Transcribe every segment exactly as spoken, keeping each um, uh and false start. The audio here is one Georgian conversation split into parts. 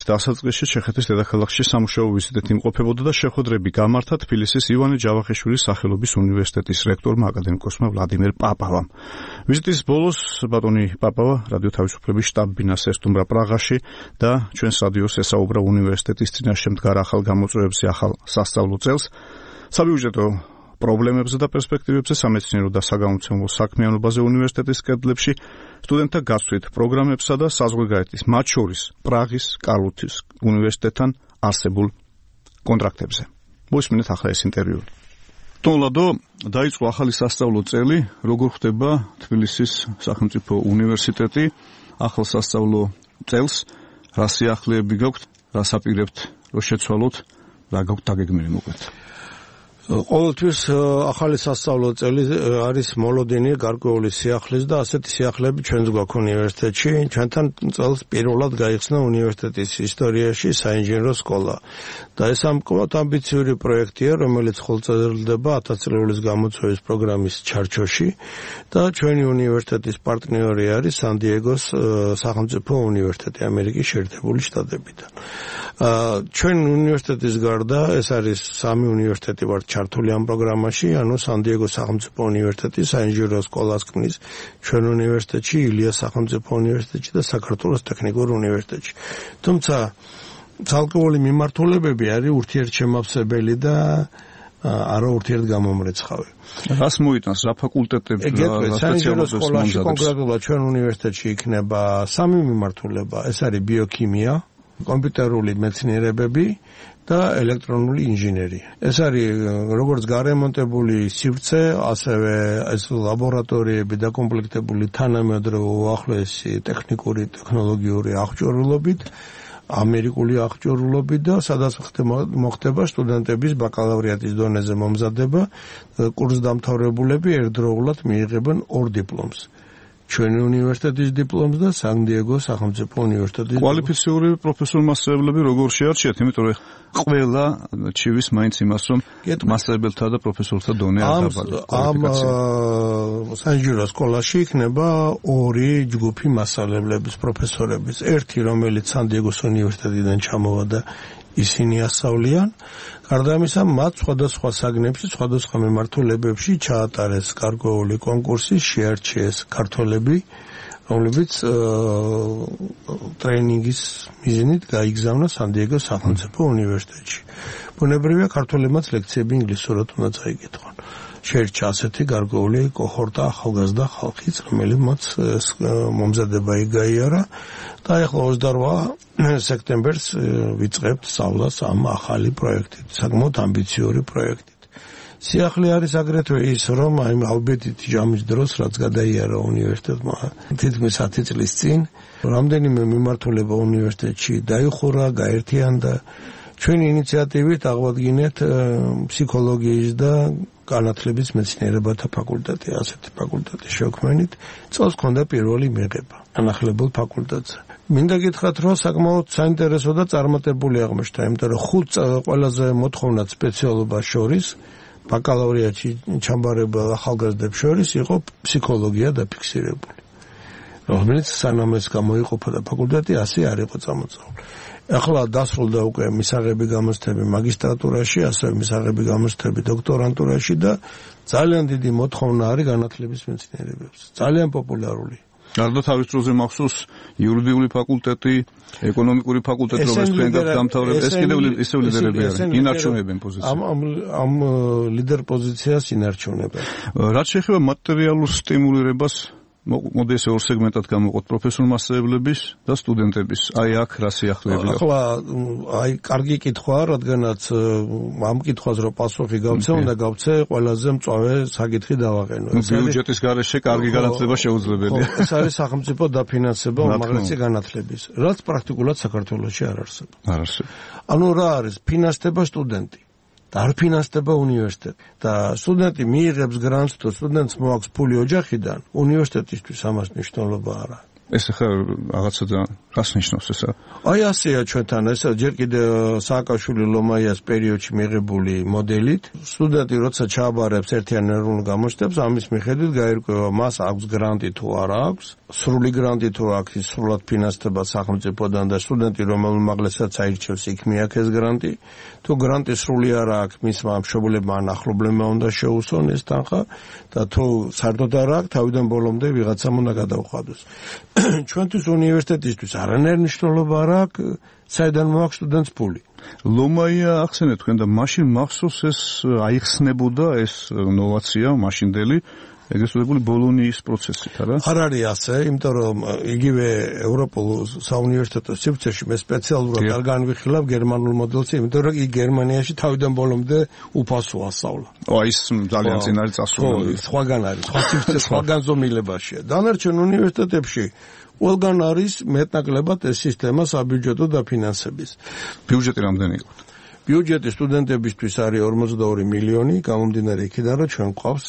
დასაწყისში ჩეხეთის დედაქალაქში სამუშაო ვიზიტით იმყოფებოდა და შეხვედრები გამართა თბილისის ივანე ჯავახიშვილის სახელობის უნივერსიტეტის რექტორმა აკადემიკოსმა ვლადიმერ პაპავამ. ვიზიტის ბოლოს ბატონი პაპავა რადიო თავისუფლების შტაბ-ბინას ესტუმრა პრაღაში და ჩვენს რადიოს ესაუბრა უნივერსიტეტის წინაშე მდგარ ახალ გამოწვევებზე, ახალ სასწავლო წელს, საბიუჯეტო პრობლემებზე და პერსპექტივებზე, სამეცნიერო და საგამომცემლო საქმიანობაზე უნივერსიტეტის კედლებში, სტუდენტთა გასვლით პროგრამებსა და საზღვარგარეთის, მათ შორის პრაღის, კარლუთის უნივერსიტეტთან არსებულ კონტრაქტებზე. მოისმინეთ ახლა ეს ინტერვიუ. თოლადო დაიწყო ახალი სასწავლო წელი, როგორ ხდება თბილისის სახელმწიფო უნივერსიტეტი ახალ სასწავლო წელს, რა სიახლეები გაქვთ, რას აპირებთ, რომ შეცვალოთ, რა გაქვთ დაგეგმილი მოკლედ. ყოველთვის ახალი სასწავლო წელი არის მოლოდინი გარკვეული სიახლის და ასეთი სიახლეები ჩვენს გვაქვს უნივერსიტეტში. ჩვენთან წელს პირველად გაიხსნა უნივერსიტეტის ისტორიაში საინჟინრო სკოლა. და ეს ამკობად ამბიციური პროექტია, რომელიც ხელმძღვანელდება ათას წლეულის გამოწვევის პროგრამის ჩარჩოში და ჩვენი უნივერსიტეტის პარტნიორი არის სან-დიეგოს სახელმწიფო უნივერსიტეტი ამერიკის შეერთებული შტატებიდან. ჩვენ უნივერსიტეტის გარდა ეს არის სამი უნივერსიტეტი ვართ ჩართული ამ პროგრამაში, ანუ სან-დიეგოს სახელმწიფო უნივერსიტეტი, საინჟინრო სკოლას ქმნის ჩვენ უნივერსიტეტში, ილიას სახელმწიფო უნივერსიტეტში და საქართველოს ტექნიკურ უნივერსიტეტში. თუმცა ცალკეული მიმართულებები არის ურთიერთშემავსებელი და არა ურთიერთგამომრეცხავი. რას მოიტანს, რა ფაკულტეტებს, რა სპეციალობებს მონაწილეობს? კონკრეტულად ჩვენ უნივერსიტეტში იქნება სამი მიმართულება, ეს არის ბიოქიმია, კომპიუტერული მეცნიერებები და ელექტრონული ინჟინერია. ეს არის როგორც გარემონტებული სივრცე, ასევე ეს ლაბორატორიები დაკომპლექტებული თანამედროვე უახლოესი ტექნიკური ტექნოლოგიური აღჭურვილობით, ამერიკული აღჭურვილობით და სადაც მოხდება სტუდენტების ბაკალავრიატის დონეზე მომზადება, კურსდამთავრებულები ერთდროულად მიიღებენ ორ დიპლომს. ჩვენი უნივერსიტეტის დიპლომს და სან-დიეგოს სახელმწიფო უნივერსიტეტის. კვალიფიციური პროფესორ-მასწავლებლები როგორ შეარჩიათ, იმიტომ რომ ყველა ჩივის მაინც იმას, რომ მასწავლებელთა და პროფესორთა დონე არ დაბადა. ამ საინჟინრო სკოლაში იქნება ორი ჯგუფი მასწავლებლების, პროფესორების. ერთი, რომელიც სან-დიეგოს უნივერსიტეტიდან ჩამოვა და ისინი ასწავლიან. გარდა ამისა, მათ სხვადასხვა საგნებში, სხვადასხვა მიმართულებებში ჩაატარეს გარკვეული კონკურსი, შეარჩიეს ქართველები, რომლებიც ტრეინინგის მიზნით გაიგზავნა სან-დიეგოს სახელმწიფო უნივერსიტეტში. ბუნებრივია, ქართველებმაც ლექციები ინგლისურად უნდა წაიკითხონ. შეერჩა ასეთი გარკვეული კოჰორტა ახალგაზრდა ხალხიც, რომელმაც მომზადება იგაიარა და ახლა ოცდაორ სექტემბერს ვიწყებთ სწავლას ამ ახალი პროექტით, საკმაოდ ამბიციური პროექტით. სიახლე არის აგრეთვე ის, რომ აი ალბეთით ჯამის დროს, რაც გადაიარა უნივერსიტეტმა თითქმის ათი წლის წინ, რამდენიმე მიმართულება უნივერსიტეტში დაიხურა, გაერთიანდა. ჩვენი ინიციატივით აღვადგინეთ ფსიქოლოგიის და განათლების მეცნიერებათა ფაკულტეტი, ასეთი ფაკულტეტის შექმნით, წელს ჰქონდა პირველი მიღება განახლებულ ფაკულტეტზე. მინდა გითხრათ, რომ საკმაოდ საინტერესო და წარმატებული აღმოჩნდა, იმიტომ რომ ხუთ ყველაზე მოთხოვნად სპეციალობას შორის, ბაკალავრიატში ჩამბარებელ ახალგაზრდებს შორის იყო ფსიქოლოგია დაფიქსირებული. რომელიც სანამ ეს გამოიყოფა ფაკულტეტი, ასე არ იყო წამოწეული. ახლა დასრულდა უკვე მისაღები გამოცდები მაგისტრატურაში, ასევე მისაღები გამოცდები დოქტორანტურაში და ძალიან დიდი მოთხოვნა არის განათლების მეცნიერებებზე. ძალიან პოპულარული. გარდა თავის დროზე მახსოვს იურიდიული ფაკულტეტი, ეკონომიკური ფაკულტეტი, რომელიც თქვენ გამთავრებთ, ეს კიდევ ისევ ლიდერები არიან, ინარჩუნებენ პოზიციას. ამ ამ ლიდერ პოზიციას ინარჩუნებენ. რაც შეეხება მატერიალურ სტიმულირებას, მოდი ესე ორ სეგმენტად გამოვყოთ პროფესორ-მასწავლებლების და სტუდენტების. აი აქ რა სიახლეები აქვს? ახლა აი კარგი კითხვაა, რადგანაც ამ კითხვას რო პასუხი გავცე, უნდა გავცე ყველაზე მწვავე საკითხი დავაყენო. ბიუჯეტის გარეშე კარგი განათლება შეუძლებელია. ეს არის სახელმწიფო დაფინანსება უმაღლესი განათლების, რაც პრაქტიკულად საქართველოში არ არსებობს. არ არსებობს. ანუ რა არის? ფინანსდება სტუდენტი. და არ ფინანსდება უნივერსიტეტი. და სტუდენტი მიიღებს გრანტს, თუ სტუდენტს მოაქვს ფული ოჯახიდან, უნივერსიტეტისთვის ამას მნიშვნელობა არ აქვს. ეს ახლა რაღაცა რას ნიშნავს ესა? აი ასეა ჩვენთან, ესა ჯერ კიდე სააკაშვილი ლომაიას პერიოდში მიღებული მოდელით, სტუდენტი როცა ჩააბარებს ერთიან ეროვნულ გამოჩნდებს, ამის მიხედვით გაირკვევა მას აქვს გრანტი თუ არა აქვს. სრული გრანტი თუ აქ სრულად ფინანსდება სახელმწიფოდან და სტუდენტი რომელმ უმაღლესაც აირჩევს იქ მიაქეს გრანტი თუ გრანტი სრული არა აქვს მისმა მშობლებმა ან ახლობლებმა უნდა შეუსვონ ეს თანხა და თუ საერთოდ არა აქვს თავიდან ბოლომდე ვიღაცამ უნდა გადაუხადოს ჩვენთვის უნივერსიტეტისთვის არანაირი მნიშვნელობა არ აქვს საიდან მოაქვს სტუდენტს ფული ლომაია ახსენეთ თქვენ და მაშინ მახსოვს ეს აიხსნებოდა ეს ნოვაცია მაშინდელი ეგრეთ წოდებული ბოლონიის პროცესით, არა? არ არის ასე, იმიტომ რომ იგივე ევროპულ საუნივერსიტეტო სივრცეში მე სპეციალურად არ განვიხილავ გერმანულ მოდელს, იმიტომ რომ იქ გერმანიაში თავიდან ბოლომდე უფასოა სწავლა. ო, ის ძალიან წინ არის წასული. ხო, სხვაგან არის, სხვა სივრცე, სხვაგან ზომილებაშია. დანარჩენ უნივერსიტეტებში ყველგან არის მეტნაკლებად ეს სისტემა საბიუჯეტო დაფინანსების. ბიუჯეტი რამდენი იყო? ბიუჯეტი სტუდენტებისთვის არის ორმოცდაორი მილიონი, გამომდინარე იქიდან, რომ ჩვენ გვყავს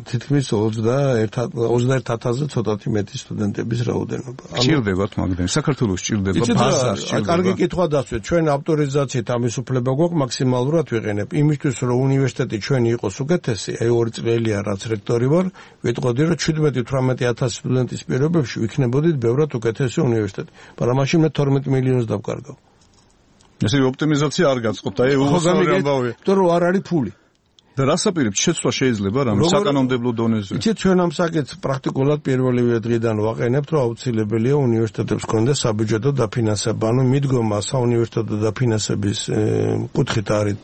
თითქმის ოცდაერთ ათასზე ცოტათი მეტი სტუდენტების რაოდენობა. სჭირდებათ მაგდენი, საქართველოს სჭირდება ბაზა, სჭირდება. კარგი კითხვა დასვეთ, ჩვენ ავტორიზაციით ამის უფლება გვაქვს მაქსიმალურად ვიყენებ. იმისთვის, რომ უნივერსიტეტი ჩვენი იყოს უკეთესი, აი ორი წელია რაც რექტორი ვარ, ვიტყოდი, რომ შვიდმეტი თვრამეტი ათასი სტუდენტის პირობებში ვიქნებოდით ბევრად უკეთესი უნივერსიტეტი. მაგრამ მაშინ მე თორმეტ მილიონს დავკარგავ. ესე ოპტიმიზაცია არ გაწყობთ, აი უხსარი ამბავია. იმიტომ რომ არ არის ფული. და რას აპირებთ შეცვლა შეიძლება რამე საკანონმდებლო დონეზე? იცით ჩვენ ამ საკითხს პრაქტიკულად პირველივე დღიდან ვაყენებთ, რომ აუცილებელია უნივერსიტეტებს კონდეს საბიუჯეტო დაფინანსება. ანუ მიდგომა საუნივერსიტეტო დაფინანსების კუთხით არის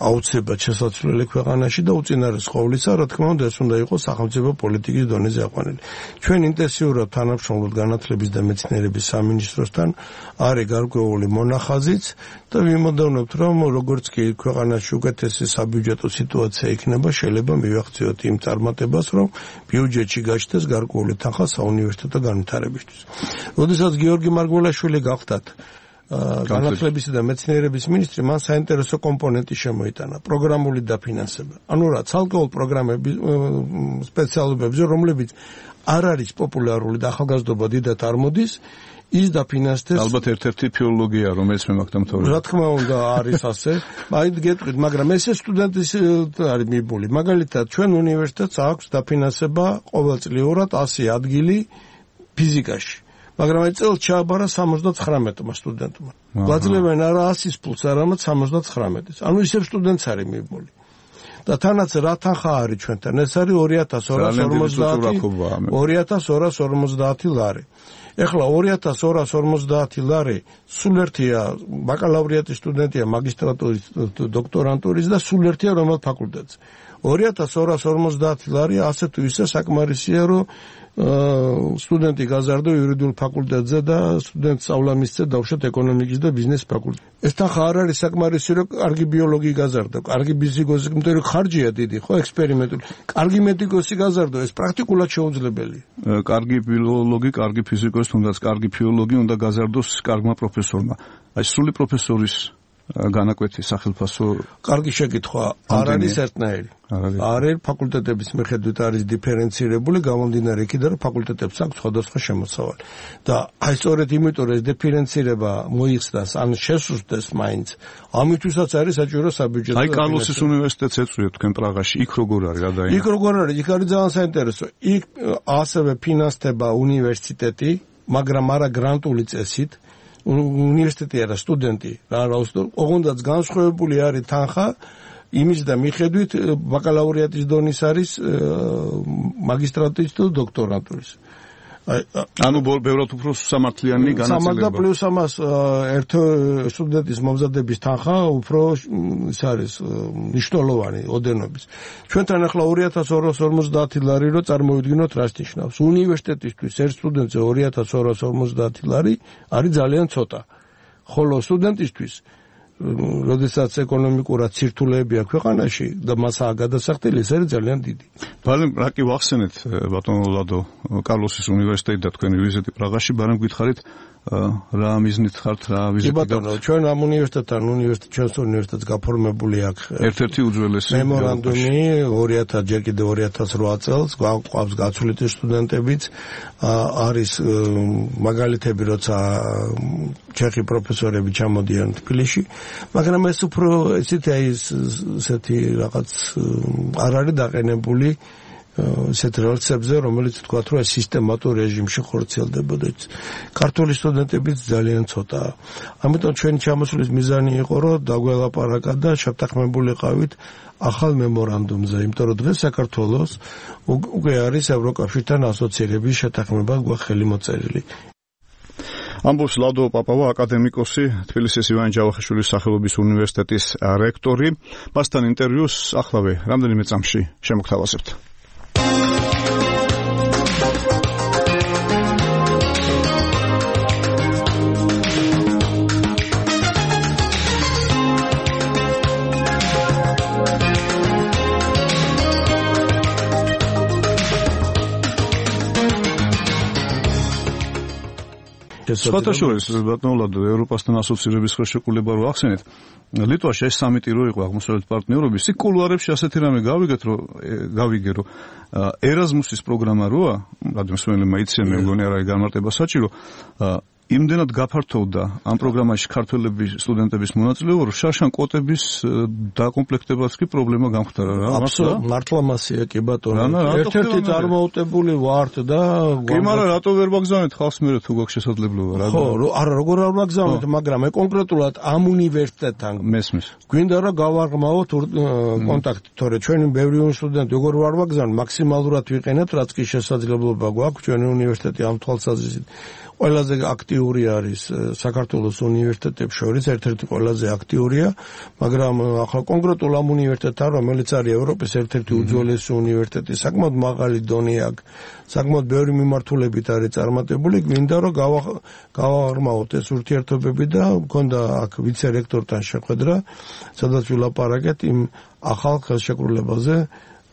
აუცილებლად შესაძლებელი ქვეყანაში და უწინარეს ყოვლისა, რა თქმა უნდა, ეს უნდა იყოს სახელმწიფო პოლიტიკის დონეზე აყვანილი. ჩვენ ინტენსიურად თანამშრომლობთ განათლების და მეცნიერების სამინისტროსთან, არის გარკვეული მონახაზიც და ვიმოდოვნებთ, რომ როგორც კი ქვეყანაში უკეთესი საბიუჯეტო სიტუაცია იქნება, შეიძლება მივახციოთ იმ წარმატებას, რომ ბიუჯეტში გაჩნდეს გარკვეული თანხა საუნივერსიტეტო განვითარებისთვის. როდესაც გიორგი მარგველაშვილი გახდათ განათლებისა და მეცნიერების მინისტრი, მან საინტერესო კომპონენტი შემოიტანა, პროგრამული დაფინანსება. ანუ რა, ცალკეულ პროგრამები სპეციალობებზე, რომლებიც არ არის პოპულარული და ახალგაზრდობა დიდად არ მოდის, ის დაფინანსდეს. ალბათ ერთ-ერთი ფილოლოგია, რომელიც მე მაგ დამთავრდა. რა თქმა უნდა, არის ასე. მაინც გეტყვით, მაგრამ ესე სტუდენტის არის მიბული. მაგალითად, ჩვენ უნივერსიტეტს აქვს დაფინანსება ყოველწლიურად ასი ადგილი ფიზიკაში. მაგრამ აი წელს ჩააბარა სამოცდათხრამეტმა სტუდენტმა. გვაძლევენ არა ასის ფულს, არამედ სამოცდათხრამეტის. ანუ ისევ სტუდენტს არის მიბული. და თანაც რა თანხა არის ჩვენთან? ეს არის ორი ათას ორას ორმოცდაათი ლარი. ეხლა ორი ათას ორას ორმოცდაათი ლარი სულ ერთია ბაკალავრიატის სტუდენტია მაგისტრატურის დოქტორანტურის და სულ ერთია რომელ ფაკულტეტზე. ორი ათას ორას ორმოცდაათი ლარი ასე თუ ისე საკმარისია, რომ სტუდენტი გაზარდო იურიდიულ ფაკულტეტზე და სტუდენტს სწავლა მისცე დავუშვათ ეკონომიკის და ბიზნეს ფაკულტეტზე. ეს თანხა არ არის საკმარისი, რომ კარგი ბიოლოგი გაზარდო, კარგი ფიზიკოსი, იმიტომ რომ ხარჯია დიდი, ხო, ექსპერიმენტული. კარგი მედიკოსი გაზარდო, ეს პრაქტიკულად შეუძლებელია. კარგი ბიოლოგი, კარგი ფიზიკოსი, თუნდაც კარგი ფილოლოგი უნდა გაზარდოს კარგმა პროფესორმა. აი სრული პროფესორის განაკვეთი სახელმწიფო კარგი შეკითხვა არ არის ერთნაირი. არის ფაკულტეტების მიხედვით არის დიფერენცირებული, გამომდინარე იქიდან, რომ ფაკულტეტებს აქვს სხვადასხვა შემოსავალი. და აი სწორედ იმიტომ ეს დიფერენცირება მოიხსნას, ან შესუსტდეს მაინც, ამითვისაც არის საჭირო საბიუჯეტო. აი კარლოსის უნივერსიტეტს ეწვიოთ თქვენ პრაღაში, იქ როგორ არის გადაინა? იქ როგორ არის? იქ არის ძალიან საინტერესო. იქ ასევე ფინანსდება უნივერსიტეტი, მაგრამ არა გრანტული წესით. უნივერსიტეტი არა სტუდენტი, რა რაუსტო, ოღონდაც განსხვავებული არის თანხა იმის და მიხედვით ბაკალავრიატის დონის არის მაგისტრატურის თუ დოქტორანტურის. ანუ ბევრად უფრო სამართლიანი განაწილება. სამართლა პლუს ამას ერთ სტუდენტის მომზადების თანხა უფრო ის არის მნიშვნელოვანი ოდენობის. ჩვენთან ახლა ორი ათას ორას ორმოცდაათი ლარი რო წარმოვიდგინოთ რას ნიშნავს. უნივერსიტეტისთვის ერთ სტუდენტზე ორი ათას ორას ორმოცდაათი ლარი არის ძალიან ცოტა. ხოლო სტუდენტისთვის როდესაც ეკონომიკურად ცირთულეებია ქვეყანაში და მასაა გადასახდელი, ეს არის ძალიან დიდი. ბალენ რა კი ვახსენეთ ბატონო ლადო კარლოსის უნივერსიტეტი და თქვენი ვიზიტი პრაღაში, ბარემ გითხარით რა მიზნით ხართ, რა ვიზიტი? კი ბატონო, ჩვენ ამ უნივერსიტეტთან უნივერსიტეტ ჩვენს უნივერსიტეტს გაფორმებული აქვს ერთ-ერთი უძველესი მემორანდუმი ორი ათას ჯერ კიდევ ორი ათას რვა წელს, გვაქვს გაცვლით სტუდენტებიც, არის მაგალითები, როცა ჩეხი პროფესორები ჩამოდიან თბილისში, მაგრამ ეს უფრო ესეთი აი ესეთი რაღაც არ არის დაყენებული ესეთ რელსებზე, რომელიც თქვათ, რომ სისტემატურ რეჟიმში ხორციელდებოდა. ქართული სტუდენტებიც ძალიან ცოტაა. ამიტომ ჩვენი ჩამოსვლის მიზანი იყო, რომ დაგველაპარაკა და შეთანხმებულიყავით ახალ მემორანდუმზე, იმიტომ რომ დღეს საქართველოს უკვე არის ევროკავშირთან ასოცირების შეთანხმება გვაქვს ხელი მოწერილი. ამბობს ლადო პაპავა, აკადემიკოსი, თბილისის ივანე ჯავახიშვილის სახელობის უნივერსიტეტის რექტორი. მასთან ინტერვიუს ახლავე რამდენიმე წამში შემოგთავაზებთ. სხვათა შორის, ბატონო, ევროპასთან ასოცირების ხელშეკრულება რო ახსენეთ, ლიტვაში ეს სამიტი რო იყო აღმოსავლეთ პარტნიორობის, იქ კულუარებში ასეთი რამე გავიგეთ, რომ გავიგე, რომ ერაზმუსის პროგრამა როა, რადგან მსმენელმა იციან, მე მგონი არა გამარტება საჭირო, იმდენად გაფართოვდა ამ პროგრამაში ქართველების სტუდენტების მონაწილეობა, რომ შარშან კვოტების დაკომპლექტებაც კი პრობლემა გამხდარა რა. აბსოლუტურად მართლა მასია კი ბატონო. ერთ-ერთი წარმოუწებული ვართ და კი, მაგრამ რატო ვერ ვაგზავნეთ ხალხს მე თუ გვაქვს შესაძლებლობა რა. ხო, არა, როგორ არ ვაგზავნეთ, მაგრამ მე კონკრეტულად ამ უნივერსიტეტთან მესმის. გვინდა რომ გავაღრმავოთ კონტაქტი, თორე ჩვენი ბევრი სტუდენტი როგორ ვარ ვაგზავნეთ, მაქსიმალურად ვიყენებთ, რაც კი შესაძლებლობა გვაქვს ჩვენი უნივერსიტეტი ამ თვალსაზრისით. ყველაზე აქტიური არის საქართველოს უნივერსიტეტებს შორის, ერთ-ერთი ყველაზე აქტიურია, მაგრამ ახლა კონკრეტულ ამ უნივერსიტეტთან, რომელიც არის ევროპის ერთ-ერთი უძველესი უნივერსიტეტი, საკმაოდ მაღალი დონე აქვს, საკმაოდ ბევრი მიმართულებით არის წარმატებული, გვინდა რომ გავაღრმავოთ ეს ურთიერთობები და მქონდა აქ ვიცე-რექტორთან შეხვედრა, სადაც ვილაპარაკეთ იმ ახალ ხელშეკრულებაზე,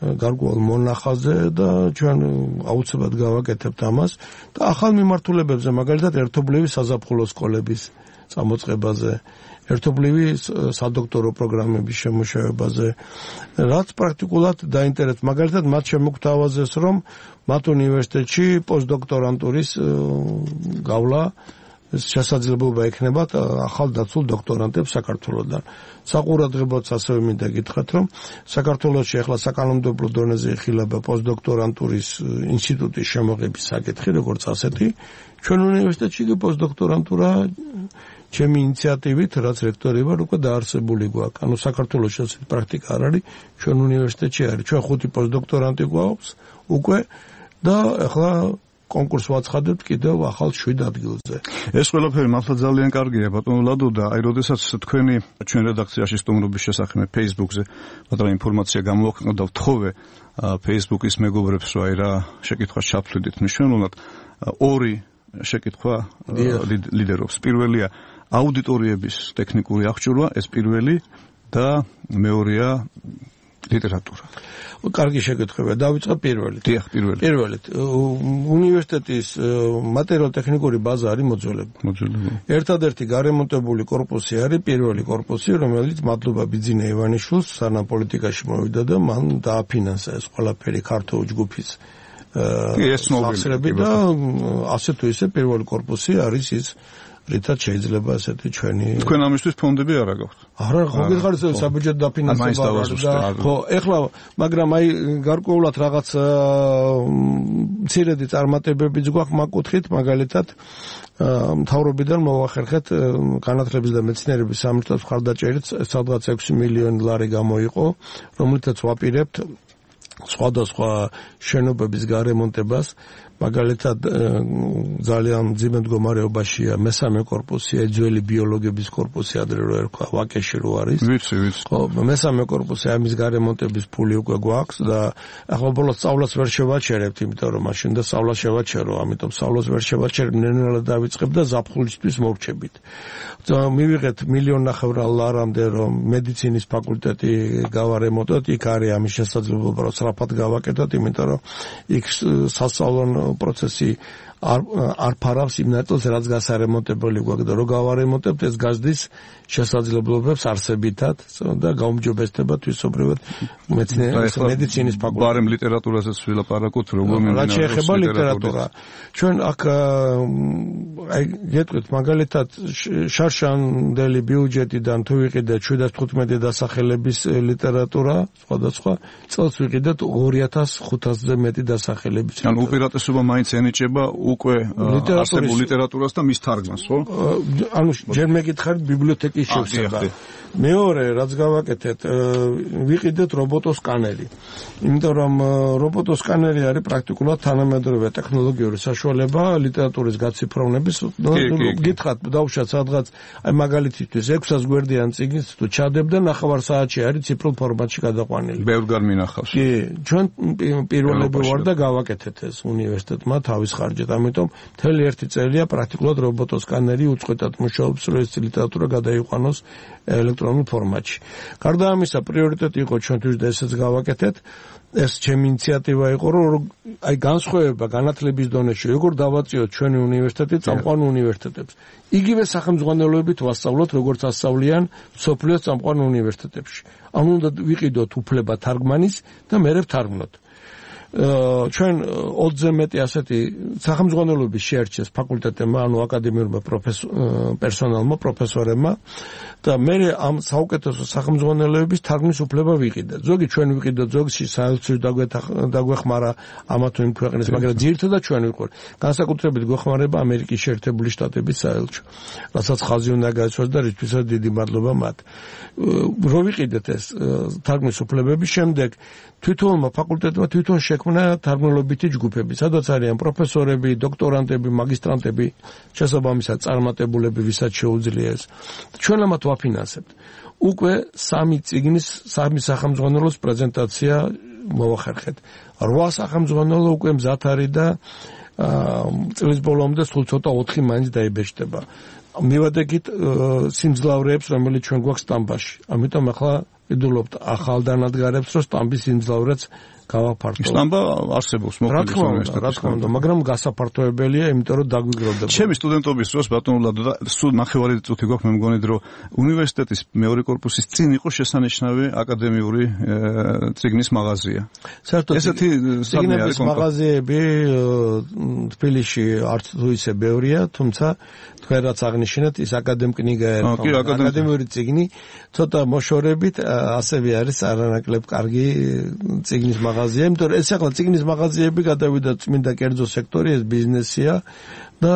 გარკვეულ მონახაზზე და ჩვენ აუცილებლად გავაკეთებთ ამას და ახალ მიმართულებებზე, მაგალითად ერთობლივი საზაფხულო სკოლების წამოწყებაზე, ერთობლივი სადოქტორო პროგრამების შემუშავებაზე, რაც პრაქტიკულად დაინტერესებს. მაგალითად, მათ შემოგთავაზეს, რომ მათ უნივერსიტეტში პოსტდოქტორანტურის გავლა შესაძლებლობა ექნება ახალ დაცულ დოქტორანტებს საქართველოსთან. საყურადღებოც ასევე მინდა გითხრათ, რომ საქართველოში ახლა საკანონმდებლო დონეზე იხილება პოსტდოქტორანტურის ინსტიტუტის შემოღების საკითხი, როგორც ასეთი. ჩვენ უნივერსიტეტში კი პოსტდოქტორანტურა ჩემი ინიციატივით, რაც რექტორი ვარ, უკვე დაარსებული გვაქვს. ანუ საქართველოში ასეთი პრაქტიკა არ არის, ჩვენ უნივერსიტეტში არის. ჩვენ ხუთი პოსტდოქტორანტი გვაქვს უკვე და ახლა კონკურს ვაცხადებთ კიდევ ახალ შვიდ ადგილზე. ეს ყველაფერი მართლა ძალიან კარგია, ბატონო ლადო, და აი როდესაც თქვენი ჩვენ რედაქციაში სტუმრობის შესახებ Facebook-ზე მაგრამ ინფორმაცია გამოაქვეყნოთ და ვთხოვე Facebook-ის მეგობრებს, რომ აი რა შეკითხვა ჩაფლიდით მნიშვნელოვნად, ორი შეკითხვა ლიდერობს. პირველია აუდიტორიების ტექნიკური აღჭურვა, ეს პირველი და მეორეა ლიტერატურა. კარგი შეკითხვაა. დავიწყებ პირველით. დიახ, პირველით. პირველით. უნივერსიტეტის მატერიალურ-ტექნიკური ბაზა არის მოძველებული. მოძველებული. ერთადერთი გარემონტებული корпуსი არის პირველი корпуსი, რომელიც მადლობა ბიძინა ივანიშვილს სანამ პოლიტიკაში მოვიდა და მან დააფინანსა ეს ყველაფერი ქართულ ჯგუფის ეს და ასე თუ ისე პირველი корпуსი არის ის რითაც შეიძლება ასეთი ჩვენი თქვენ ამისთვის ფონდები არ აგაქვთ? არა, ხო გითხარით საბიუჯეტო დაფინანსება და ხო, ეხლა მაგრამ აი გარკვეულად რაღაც მცირედი წარმატებებიც გვაქვს მაგ კუთხით, მაგალითად მთავრობიდან მოვახერხეთ განათლების და მეცნიერების სამინისტროს მხარდაჭერით სადღაც ექვსი მილიონი ლარი გამოიყო, რომელთაც ვაპირებთ სხვადასხვა შენობების გარემონტებას, მაგალითად ძალიან მძიმე მდგომარეობაშია მესამე корпуსი, ძველი ბიოლოგების корпуსი, ადრე რო ერქვა, ვაკეში რო არის. ვიცი, ვიცი. ხო, მესამე корпуსი ამის გარემონტების ფული უკვე გვაქვს და ახლა ბოლოს სწავლას ვერ შევაჩერებთ, იმიტომ რომ მაშინ და სწავლა შევაჩერო, ამიტომ სწავლას ვერ შევაჩერებ, ნელ-ნელა დავიწყებ და ზაფხულისთვის მოვრჩებით. მივიღეთ მილიონ ნახევრ ლარამდე, რომ მედიცინის ფაკულტეტი გავარემონტოთ, იქ არის ამის შესაძლებლობა, რომ სწრაფად გავაკეთოთ, იმიტომ რომ იქ სასწავლო პროცესი არ არ ფარავს იმ ნაწილს, რაც გასარემონტებელი გვაქვს და რო გავარემონტებთ, ეს გაზდის შესაძლებლობებს არსებითად და გაუმჯობესდება თვისობრივად მეცნიერების მედიცინის ფაკულტეტი. ბარემ ლიტერატურაზეც ვილაპარაკოთ, როგორ მიმდინარეობს შეეხება ლიტერატურა. ჩვენ აქ აი გეტყვით მაგალითად შარშანდელი ბიუჯეტიდან თუ ვიყიდეთ შვიდას თხუთმეტი დასახელების ლიტერატურა, სხვადასხვა წელს ვიყიდეთ ორი ათას ხუთასზე მეტი დასახელების. ანუ უპირატესობა მაინც ენიჭება უკვე არსებულ ლიტერატურას და მის თარგმანს, ხო? ანუ ჯერ მეკითხარით ბიბლიოთეკის შევსება. მეორე, რაც გავაკეთეთ, ვიყიდეთ რობოტოსკანერი. იმიტომ რომ რობოტოსკანერი არის პრაქტიკულად თანამედროვე ტექნოლოგიური საშუალება ლიტერატურის გაციფროვნების. გითხრათ, დავუშვათ სადღაც, აი მაგალითისთვის ექვსას გვერდიან წიგნს თუ ჩადებ და ნახევარ საათში არის ციფრულ ფორმატში გადაყვანილი. ბევრ გარ მინახავს. კი, ჩვენ პირველები ვარ და გავაკეთეთ ეს უნივერსიტეტმა თავის ხარჯით. ამიტომ მთელი ერთი წელია პრაქტიკულად რობოტოსკანერი უწყვეტად მუშაობს, რომ ეს ლიტერატურა გადაიყვანოს ელექტრონულ ფორმატში. გარდა ამისა, პრიორიტეტი იყო ჩვენთვის და ესეც გავაკეთეთ. ეს ჩემი ინიციატივა იყო, რომ აი განსხვავება განათლების დონეში, როგორ დავაწიოთ ჩვენი უნივერსიტეტი წამყვან უნივერსიტეტებს. იგივე სახელმძღვანელოებით ვასწავლოთ, როგორც ასწავლიან მსოფლიოს წამყვან უნივერსიტეტებში. ანუ უნდა ვიყიდოთ უფლება თარგმანის და მერე ვთარგმნოთ. ჩვენ ოცზე მეტი ასეთი სახელმძღვანელოების შეარჩიეს ფაკულტეტებმა, ანუ აკადემიურმა პერსონალმა, პროფესორებმა და მე ამ საუკეთესო სახელმძღვანელოების თარგმნის უფლება ვიყიდე. ზოგი ჩვენ ვიყიდოთ, ზოგი საელჩოს დაგვეხმარა ამა თუ იმ ქვეყნის, მაგრამ ძირითადად ჩვენ ვიყურეთ. განსაკუთრებით გვეხმარება ამერიკის შეერთებული შტატების საელჩო, რასაც ხაზი უნდა გაიცვას და რითვისაც დიდი მადლობა მათ. რო ვიყიდეთ ეს თარგმნის უფლებების შემდეგ თვითონმა ფაკულტეტმა თვითონ შექმნა თარგმნელობითი ჯგუფები, სადაც არიან პროფესორები, დოქტორანტები, მაგისტრანტები, შესაბამისად წარმატებულები, ვისაც შეუძლია ეს. ჩვენ ამათ ვაფინანსებთ. უკვე სამი წიგნის, სამი სახელმძღვანელოს პრეზენტაცია მოვახერხეთ. რვა სახელმძღვანელო უკვე მზად არის და წლის ბოლომდე სულ ცოტა ოთხი მაინც დაიბეჭდება. მივადგეთ სიმძლავრეებს, რომელიც ჩვენ გვაქვს სტამბაში. ამიტომ ახლა ვიდულობთ ახალ დანადგარებს, რომ სტამბის სიმძლავრეც გავაფართოვოთ. სტამბა არსებობს მოქმედი უნივერსიტეტში. რა თქმა უნდა, მაგრამ გასაფართოებელია, იმიტომ რომ დაგვიგროვდება. ჩემი სტუდენტობის დროს ბატონო ლადო და სულ ნახევარი წუთი გვაქვს, მე მგონი, რომ უნივერსიტეტის მეორე კორპუსის წინ იყო შესანიშნავი აკადემიური წიგნის მაღაზია. საერთოდ ესეთი წიგნების მაღაზიები თბილისში არც თუ ისე ბევრია, თუმცა თქვენ რაც აღნიშნეთ, ის აკადემკნიგა ერქვა. აკადემიური წიგნი ცოტა მოშორებით ასევე არის არანაკლებ კარგი წიგნის მაღაზია, იმიტომ რომ ეს ახლა წიგნის მაღაზიები გადავიდა წმინდა კერძო სექტორი, ეს ბიზნესია და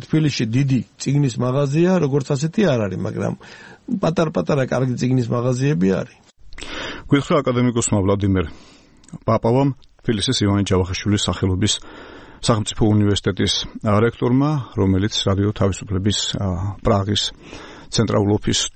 თბილისში დიდი წიგნის მაღაზია როგორც ასეთი არ არის, მაგრამ პატარ-პატარა კარგი წიგნის მაღაზიები არის. გითხრა აკადემიკოსმა ვლადიმერ პაპავამ, თბილისის ივანე ჯავახიშვილის სახელობის სახელმწიფო უნივერსიტეტის რექტორმა, რომელიც რადიო თავისუფლების პრაღის ცენტრალურ ოფისს